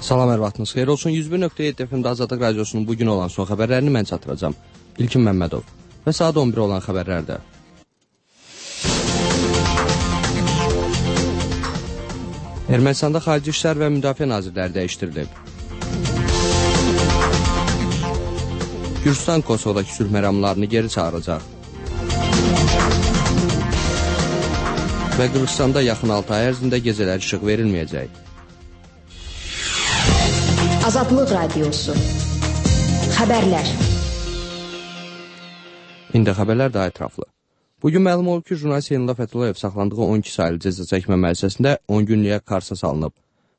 Salam, hər vaxtınız xeyir olsun. 101.7 FM-də Azadlıq Radiosunun bugün olan son xəbərlərini mən çatdıracağam. İlkin Məmmədov və saat 11 olan xəbərlərdə. Ermənistanda Xarici İşlər və Müdafiə Nazirləri dəyişdirilib. Gürcistan Kosovadakı sülh məramlarını geri çağıracaq. Və Qırğızstanda yaxın 6 ay ərzində gecələr işıq verilməyəcək. Azadlıq Radiosu. Xəbərlər. İndi xəbərlər daha ətraflı. Bugün məlum olub ki, jurnalist Elnur Fəthullayev saxlandığı 12 saylı cəza çəkmə müəssisəsində 10 günlüyə qarşısa salınıb.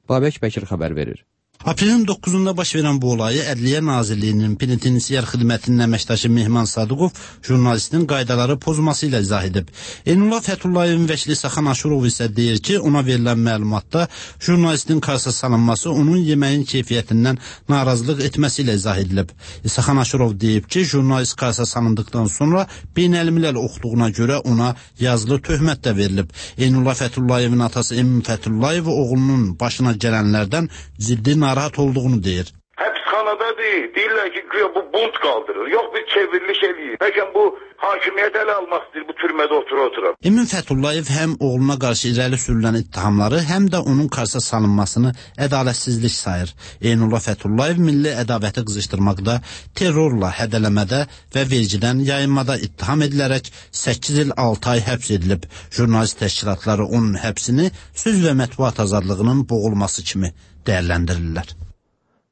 Babək Bəkir xəbər verir. Aprelin 9-da baş verən bu olayı Ədliyyə Nazirliyinin penitensiar xidmətinin əməkdaşı Mehman Sadıqov jurnalistin qaydaları pozması ilə izah edib. Elnur Fətullayevin vəkili Saxan Aşurov isə deyir ki, ona verilən məlumatda jurnalistin qarşısa salınması onun yeməyin keyfiyyətindən narazılıq etməsi ilə izah edilib. Saxan Aşurov deyib ki, jurnalist qarşısa salındıqdan sonra beynəlmiləl oxuduğuna görə ona yazılı töhmət də verilib. Elnur Fətullayevin atası Emin Fəthullayev oğlunun başına gələnlərdən ciddi narahat olduğunu deyir. Həbsxanada deyirlər ki, bu bunt qaldırır. Yox, bir çevriliş eləyir. Bəlkə bu hakimiyyət ələ almaq istəyir, bu türmədə otura-otura. Emin Fəthullayev həm oğluna qarşı irəli sürülən ittihamları, həm də onun qarşısa salınmasını ədalətsizlik sayır. Elnur Fəthullayev milli ədavəti qızışdırmaqda, terrorla hədələmədə və vergidən yayınmada ittiham edilərək 8 il 6 ay həbs edilib. Jurnalist təşkilatları onun həbsini söz və mətbuat azadlığının boğulması kimi dəyərləndirirlər.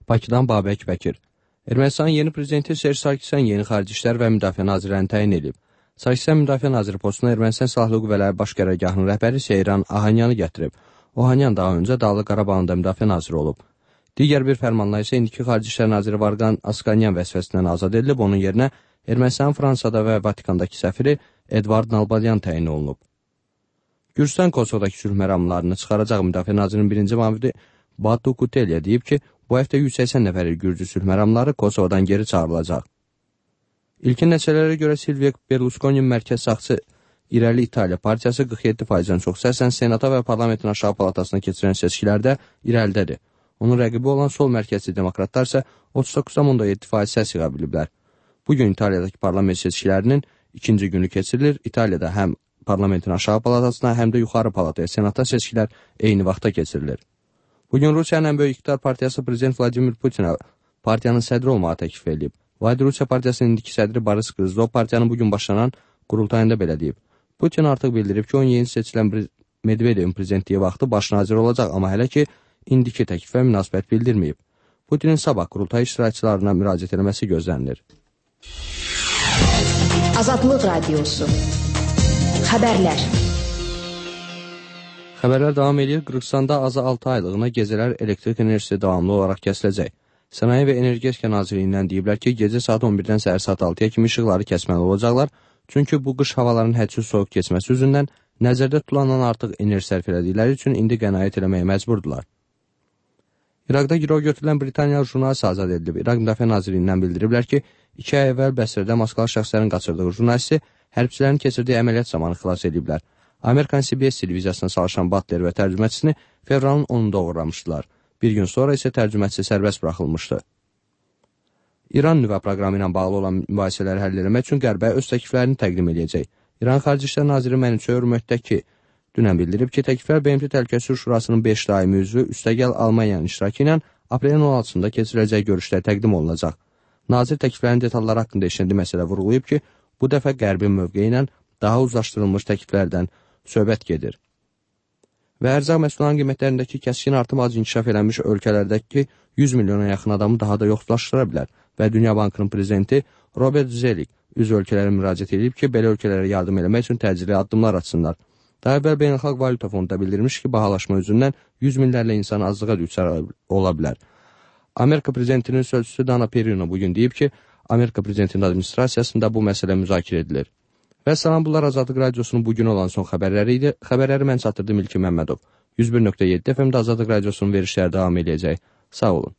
Bakıdan Babək Bəkir. Ermənistanın yeni prezidenti Serj Sarkisyan yeni Xarici İşlər və Müdafiə Nazirlərini təyin edib. Sarkisyan Müdafiə Naziri postuna Ermənistan Silahlı Qüvvələri Baş Qərargahının rəhbəri Seyran Ahanyanı gətirib. Ohanyan daha öncə Dağlıq Qarabağın da Müdafiə Naziri olub. Digər bir fərmanla isə indiki Xarici İşlər Naziri Varqan Asqanyan vəzifəsindən azad edilib, onun yerinə Ermənistanın Fransada və Vatikandakı səfiri Edvard Nalbalyan təyin olunub. Gürcistan Kosovadakı sülh məramlarını çıxaracaq Müdafiə Nazirinin birinci müavini Batu Kutelya deyib ki, bu həftə 180 nəfəri Gürcü sülh məramları Kosovadan geri çağırılacaq. İlkin nəticələrə görə Silvio Berlusconi'nin mərkəz sağçı İrəli İtaliya partiyası 47%-dən çox səslə Senata və parlamentin aşağı palatasına keçirən seçkilərdə irəlidədir. Onun rəqibi olan sol mərkəzli demokratlar isə 39,7% səs yığa biliblər. Bugün İtaliyadakı parlament seçkilərinin ikinci günü keçirilir. İtaliyada həm parlamentin aşağı palatasına, həm də yuxarı palataya Senata seçkilər eyni vaxtda keçirilir. Bugün Rusiyanın ən böyük iqtidar partiyası Prezident Vladimir Putinə partiyanın sədri olmağı təklif edib. Vahid Rusiya partiyasının indiki sədri Boris Qızlov partiyanın bugün başlanan qurultayında belə deyib. Putin artıq bildirib ki, onun yeni seçilən Medvedevin prezidentliyi vaxtı baş nazir olacaq, amma hələ ki, indiki təklifə münasibət bildirməyib. Putinin sabah qurultay iştirakçılarına müraciət etməsi gözlənilir. Azadlıq Radiosu. Xəbərlər. Xəbərlər davam edir. Qırğızstanda azı 6 aylığına gecələr elektrik enerjisi davamlı olaraq kəsiləcək. Sənaye və Energetika Nazirliyindən deyiblər ki, gecə saat 11-dən səhər saat 6-ya kimi işıqları kəsməli olacaqlar. Çünki bu qış havaların hədsiz soyuq keçməsi üzündən nəzərdə tutulandan artıq enerji sərf elədikləri üçün indi qənaət eləməyə məcburdular. İraqda girov götürülən Britaniyalı jurnalist azad edilib. İraq Müdafiə Nazirliyindən bildiriblər ki, 2 ay əvvəl Bəsrədə maskalı şəxslərin qaçırdığı jurnalisti hərbçilərin keçirdiyi əməliyyat zamanı xilas ediblər. Amerikan CBS televiziyasına çalışan Butler və tərcüməçisini fevralın 10-da uğramışdılar. Bir gün sonra isə tərcüməçisi sərbəst buraxılmışdı. İran nüvə proqramı ilə bağlı olan mübahisələri həll etmək üçün Qərbə öz təkliflərini təqdim edəcək. İran Xarici İşlər Naziri Mənimçöy Hürmətdəki dünən bildirib ki, təkliflər BMT Təhlükəsizlik Şurasının 5 daimi üzvü üstəgəl Almaniyanın iştirakı ilə aprelin 16-sında keçiriləcək görüşdə təqdim olunacaq. Nazir təkliflərin detalları haqqında işləndiyi məsələ vurğulayıb ki, bu dəfə Qərbin mövqeyi ilə daha uzlaşdırılmış təkliflərdən söhbət gedir. Və ərzaq məhsullarının qiymətlərindəki kəskin artım az inkişaf edilmiş ölkələrdəki 100 milyona yaxın adamı daha da yoxsullaşdıra bilər və Dünya Bankının prezidenti Robert Zelik üzv ölkələrə müraciət edib ki, belə ölkələrə yardım eləmək üçün təcili addımlar atsınlar. Daha əvvəl Beynəlxalq Valyuta Fondu bildirmiş ki, bahalaşma üzündən 100 minlərlə insan azlığa düşər ola bilər. Amerika prezidentinin sözçüsü Dana Perino bugün deyib ki, Amerika prezidentinin administrasiyasında bu məsələ müzakirə edilir. Və salam, bunlar Azadlıq Radiosunun bugün olan son xəbərləri idi. Xəbərləri mən çatdırdım İlkin Məmmədov. 101.7 FM-də Azadlıq Radiosunun verişləri davam edəcək. Sağ olun.